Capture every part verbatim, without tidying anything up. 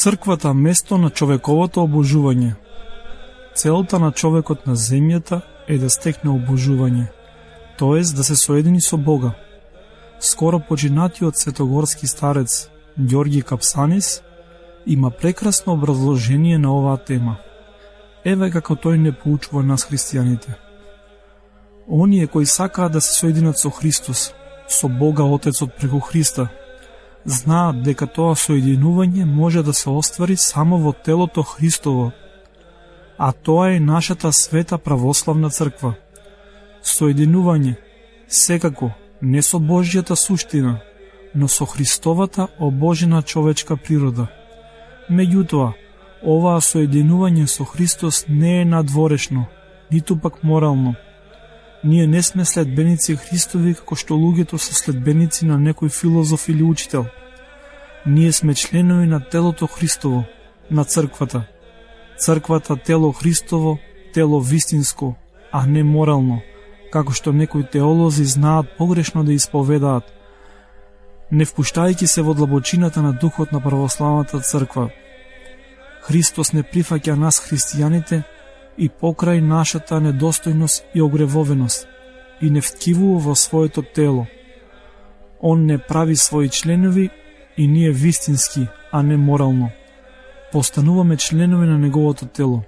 Црквата место на човековото обожување. Целта на човекот на земјата е да стекне обожување, тоест да се соедини со Бога. Скоро починатиот светогорски старец Ѓорги Капсанис има прекрасно образложение на оваа тема. Еве како тој не поучува нас христијаните. Оние кои сакаат да се соединат со Христос, со Бога Отецот преку Христа, знаат дека тоа соединување може да се оствари само во телото Христово, а тоа е нашата света православна црква. Соединување, секако, не со Божјата суштина, но со Христовата обожена човечка природа. Меѓутоа, оваа соединување со Христос не е надворешно, ниту пак морално. Ние не сме следбеници Христови како што луѓето се следбеници на некој филозоф или учител. Ние сме членови на телото Христово, на црквата. Црквата тело Христово, тело вистинско, а не морално, како што некои теолози знаат погрешно да исповедаат, не впуштајќи се во длабочината на духот на православната црква. Христос не прифаќа нас христијаните и покрај нашата недостојност и огревовеност и не вткивува во своето тело. Он не прави своји членови и ние вистински, а не морално. Постануваме членови на неговото тело.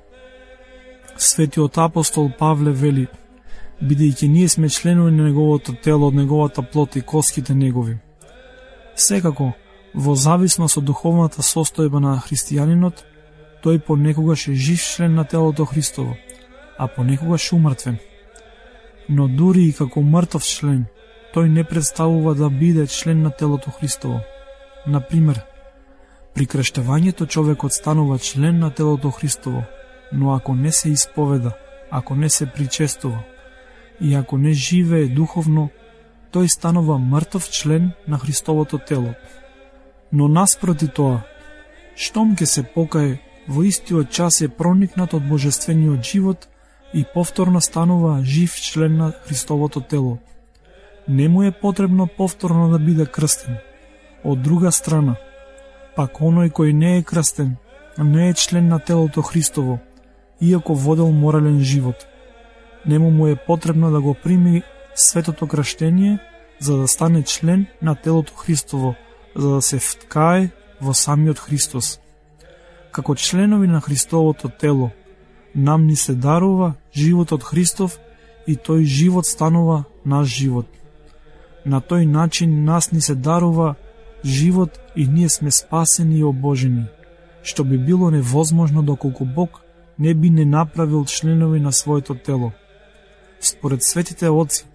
Светиот апостол Павле вели, бидејќи ние сме членови на неговото тело од неговата плот и коските негови. Секако, во зависност од духовната состојба на христијанинот, тој понекогаш е жив член на телото Христово, а понекогаш умртвен. Но дури и како мртов член, тој не представува да биде член на телото Христово. Например, при крштевањето човекот станува член на телото Христово, но ако не се исповеда, ако не се причестува и ако не живее духовно, тој станува мртов член на Христовото тело. Но наспроти тоа, штом ке се покае, во истиот час е проникнат од божествениот живот и повторно станува жив член на Христовото тело. Не му е потребно повторно да биде крстен. Од друга страна, пак оној кој не е крстен, не е член на телото Христово, иако водел морален живот. Нему му е потребно да го прими светото крштение, за да стане член на телото Христово, за да се вткае во самиот Христос. Како членови на Христовото тело, нам ни се дарува животот Христов и тој живот станува наш живот. На тој начин нас ни се дарува живот и ние сме спасени и обожени, што би било невозможно доколку Бог не би не направил членови на своето тело. Според светите отци,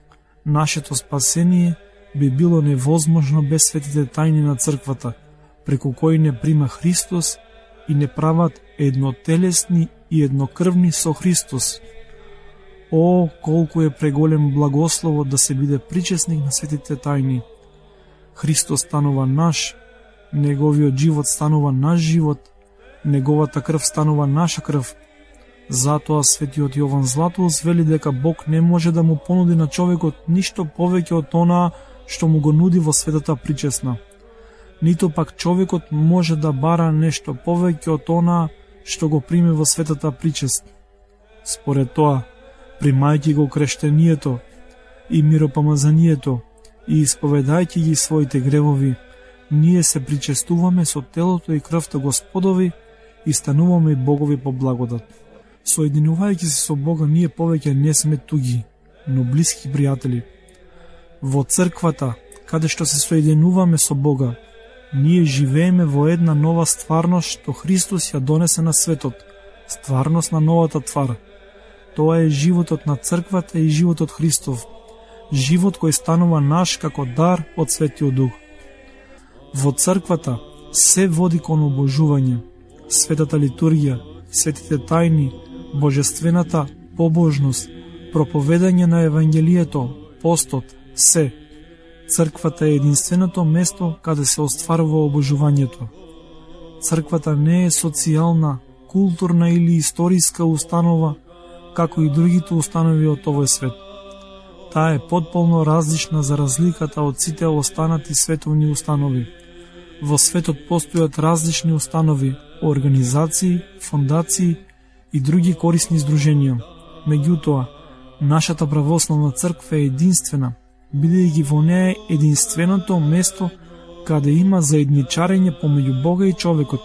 нашето спасение би било невозможно без светите тајни на црквата, преку кои не прима Христос и не прават еднотелесни и еднокрвни со Христос. О, колку е преголем благословот да се биде причесник на светите тајни. Христос станува наш, неговиот живот станува наш живот, неговата крв станува наша крв. Затоа светиот Јован Златоуст вели дека Бог не може да му понуди на човекот ништо повеќе од онаа што му го нуди во светата причесна. Нито пак човекот може да бара нешто повеќе од онаа што го прими во светата причест. Според тоа, примајќи го крештението и миропомазанието и исповедајќи ги своите гревови, ние се причестуваме со телото и крвта Господови и стануваме богови по благодат. Соединувајќи се со Бога, ние повеќе не сме туги, но блиски пријатели. Во црквата, каде што се соединуваме со Бога, ние живееме во една нова стварност што Христос ја донесе на светот, стварност на новата твар. Тоа е животот на црквата и животот Христов, живот кој станува наш како дар од Светиот Дух. Во црквата се води кон обожување, светата литургија, светите тајни, божествената побожност, проповедање на Евангелието, постот, се. Црквата е единственото место каде се остварува обожувањето. Црквата не е социјална, културна или историска установа, како и другите установи од овој свет. Таа е потполно различна за разликата од сите останати световни установи. Во светот постојат различни установи, организации, фондации и други корисни издруженија. Меѓутоа, нашата православна црква е единствена, бидејќи во неа е единственото место каде има заедничарење помеѓу Бога и човекот.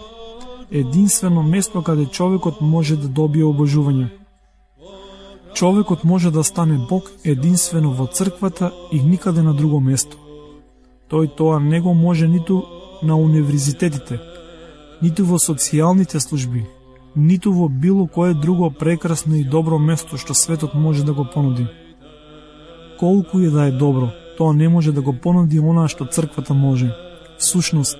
Единствено место каде човекот може да добие обожување. Човекот може да стане Бог единствено во црквата и никаде на друго место. Тој тоа не го може ниту на универзитетите, ниту во социјалните служби, ниту во било кое друго прекрасно и добро место што светот може да го понуди. Колку и да е добро, тоа не може да го понуди она што црквата може. Всушност,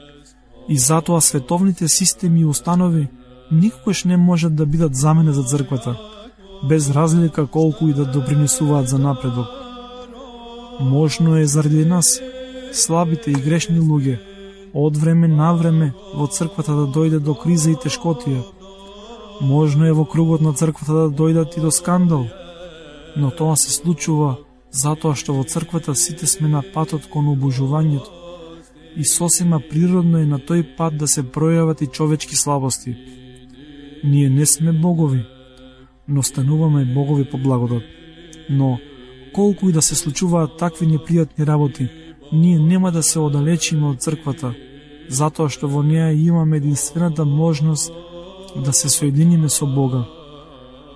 и затоа световните системи и установи никогаш не можат да бидат замена за црквата, без разлика колку и да допринесуваат за напредок. Можно е заради нас, слабите и грешни луѓе, од време на време во црквата да дојде до криза и тешкотија. Можно е во кругот на црквата да дојдат и до скандал, но тоа се случува затоа што во црквата сите сме на патот кон обожувањето и сосема природно е на тој пат да се пројават и човечки слабости. Ние не сме богови, но стануваме богови по благодат. Но, колку и да се случуваат такви непријатни работи, ние нема да се оддалечиме од црквата, затоа што во неа имаме единствената можност да се соединиме со Бога.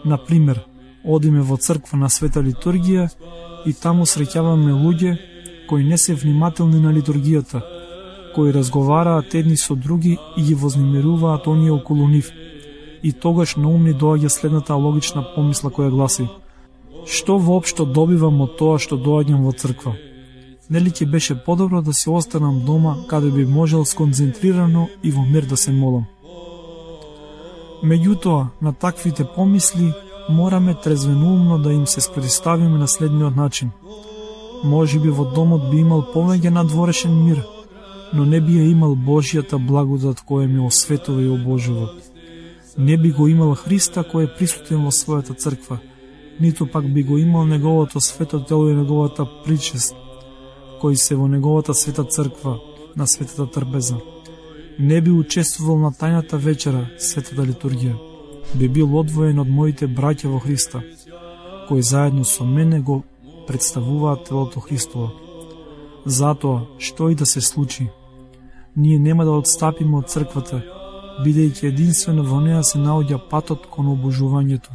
Например, одиме во црква на света литургија и таму среќаваме луѓе кои не се внимателни на литургијата, кои разговараат едни со други и ги вознемируваат оние околу нив. И тогаш на ум ни доаѓа следната логична помисла која гласи: што воопшто добивам од тоа што доаѓам во црква? Нели ќе беше подобро да се останам дома, каде би можел сконцентрирано и во мир да се молам? Меѓутоа, на таквите помисли мораме трезвеноумно да им се спротивставиме на следниот начин. Може би во домот би имал повеќе надворешен мир, но не би ја имал Божјата благодат која ме осветува и обожува. Не би го имал Христа кој е присутен во својата црква, ниту пак би го имал неговото свето тело и неговата причест, кои се во неговата света црква, на светата трпеза. Не би учествувал на тајната вечера, светата литургија. Би бил одвоен од моите браќа во Христа, кои заедно со мене го представуваат телото Христово. Затоа, што и да се случи, ние нема да отстапиме од црквата, бидејќи единствено во неа се наоѓа патот кон обожувањето.